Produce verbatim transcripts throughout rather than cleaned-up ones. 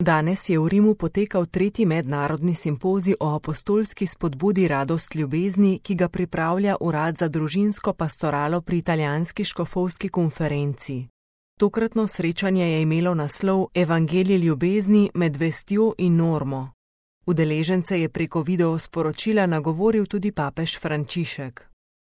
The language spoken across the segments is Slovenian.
Danes je v Rimu potekal tretji mednarodni simpozij o apostolski spodbudi Radost ljubezni, ki ga pripravlja Urad za družinsko pastoralo pri italijanski škofovski konferenci. Tokratno srečanje je imelo naslov Evangelij ljubezni med vestjo in normo. Udeležence je preko videosporočila nagovoril tudi papež Frančišek.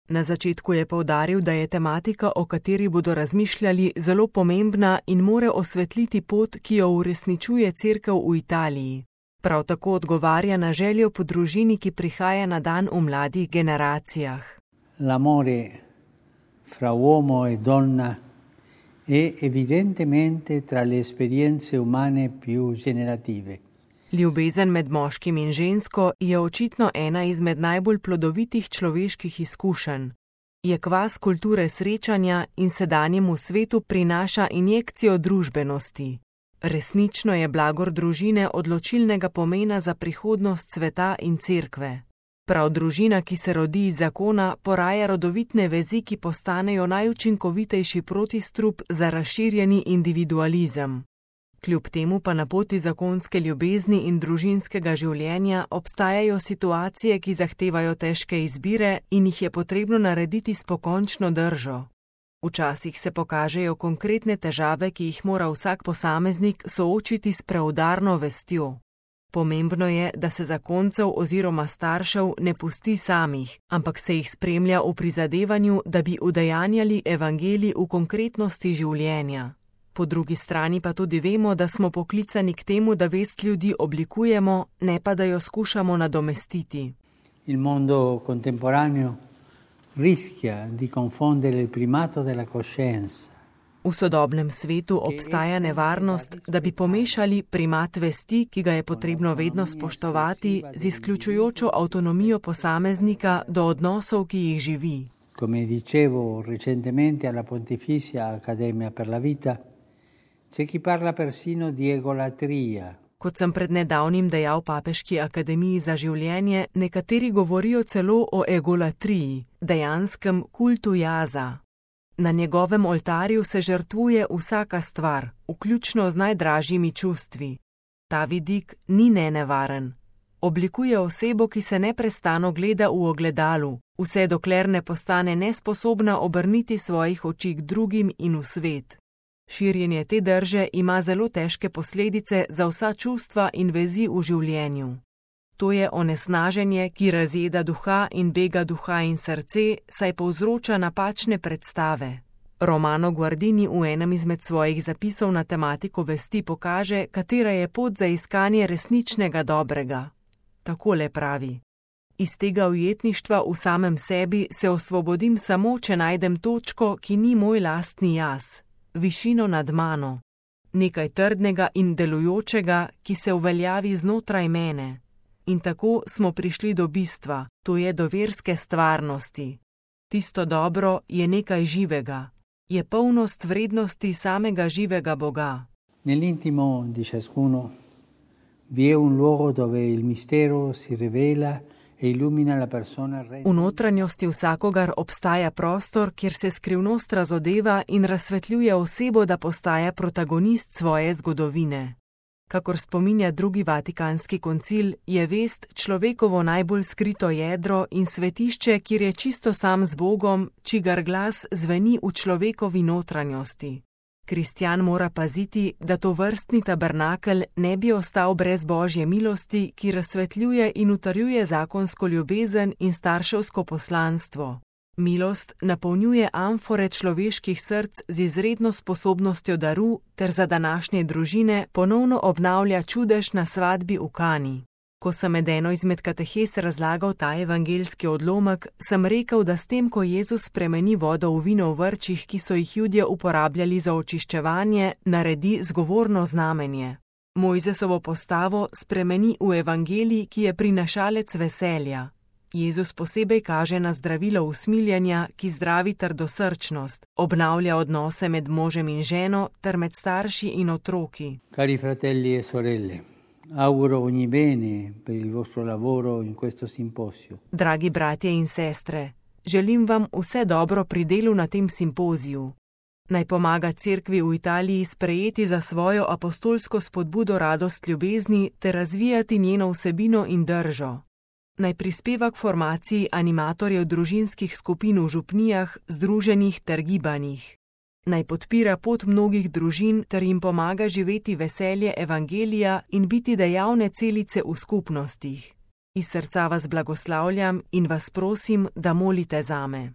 Na začetku je poudaril, da je tematika, o kateri bodo razmišljali, zelo pomembna in more osvetliti pot, ki jo uresničuje Cerkev v Italiji. Prav tako odgovarja na željo po družini, ki prihaja na dan v mladih generacijah. L'amore fra uomo e donna è evidentemente tra le esperienze umane più generative. Ljubezen med moškim in žensko je očitno ena izmed najbolj plodovitih človeških izkušenj. Je kvas kulture srečanja in sedanjemu svetu prinaša injekcijo družbenosti. Resnično je blagor družine odločilnega pomena za prihodnost sveta in cerkve. Prav družina, ki se rodi iz zakona, poraja rodovitne vezi, ki postanejo najučinkovitejši protistrup za razširjeni individualizem. Kljub temu pa na poti zakonske ljubezni in družinskega življenja obstajajo situacije, ki zahtevajo težke izbire in jih je potrebno narediti s pokončno držo. Včasih se pokažejo konkretne težave, ki jih mora vsak posameznik soočiti s preudarno vestjo. Pomembno je, da se zakoncev oziroma staršev ne pusti samih, ampak se jih spremlja v prizadevanju, da bi udejanjali evangelij v konkretnosti življenja. Po drugi strani pa tudi vemo, da smo poklicani k temu, da vest ljudi oblikujemo, ne pa da jo skušamo nadomestiti. Il mondo contemporaneo rischia di confondere il primato della coscienza. V sodobnem svetu obstaja nevarnost, da bi pomešali primat vesti, ki ga je potrebno vedno spoštovati, z izključujočo avtonomijo posameznika do odnosov, ki jih živi. Come dicevo recentemente alla Pontificia Accademia per la Vita, c'è chi parla persino di egolatria. Kot sem pred nedavnim dejal Papeški akademiji za življenje, nekateri govorijo celo o egolatriji, dejanskem kultu jaza. Na njegovem oltarju se žrtvuje vsaka stvar, vključno z najdražjimi čustvi. Ta vidik ni nenevaren. Oblikuje osebo, ki se neprestano gleda v ogledalu, vse dokler ne postane nesposobna obrniti svojih oči k drugim in v svet. Širjenje te drže ima zelo težke posledice za vsa čustva in vezi v življenju. To je onesnaženje, ki razjeda duha in bega duha in srce, saj povzroča napačne predstave. Romano Guardini v enem izmed svojih zapisov na tematiko vesti pokaže, katera je pot za iskanje resničnega dobrega. Takole pravi: iz tega ujetništva v samem sebi se osvobodim samo, če najdem točko, ki ni moj lastni jaz, višino nad mano, nekaj trdnega in delujočega, ki se uveljavi znotraj mene. In tako smo prišli do bistva, to je do verske stvarnosti. Tisto dobro je nekaj živega, je polnost vrednosti samega živega Boga. Nell'intimo di ciascuno vi è un luogo dove il mistero si rivela e illumina la persona. V notranjosti vsakogar obstaja prostor, kjer se skrivnost razodeva in razsvetljuje osebo, da postaja protagonist svoje zgodovine. Kakor spominja drugi vatikanski koncil, je vest človekovo najbolj skrito jedro in svetišče, kjer je čisto sam z Bogom, čigar glas zveni v človekovi notranjosti. Kristjan mora paziti, da to vrstni tabernakel ne bi ostal brez Božje milosti, ki razsvetljuje in utrjuje zakonsko ljubezen in starševsko poslanstvo. Milost napolnjuje amfore človeških src z izredno sposobnostjo daru ter za današnje družine ponovno obnavlja čudež na svadbi v Kani. Ko sem med eno izmed katehes razlagal ta evangeljski odlomek, sem rekel, da s tem, ko Jezus spremeni vodo v vino v vrčih, ki so jih Judje uporabljali za očiščevanje, naredi zgovorno znamenje. Mojzesovo postavo spremeni v evangelij, ki je prinašalec veselja. Jezus posebej kaže na zdravilo usmiljanja, ki zdravi trdosrčnost, obnavlja odnose med možem in ženo ter med starši in otroki. Cari fratelli e sorelle, auguro ogni bene per il vostro lavoro in questo simposio. Dragi bratje in sestre, želim vam vse dobro pri delu na tem simpoziju. Naj pomaga cerkvi v Italiji sprejeti za svojo apostolsko spodbudo radost ljubezni ter razvijati njeno vsebino in držo. Naj prispeva k formaciji animatorjev družinskih skupin v župnijah, združenjih ter gibanjih. Naj podpira pot mnogih družin ter jim pomaga živeti veselje evangelija in biti dejavne celice v skupnostih. Iz srca vas blagoslavljam in vas prosim, da molite zame.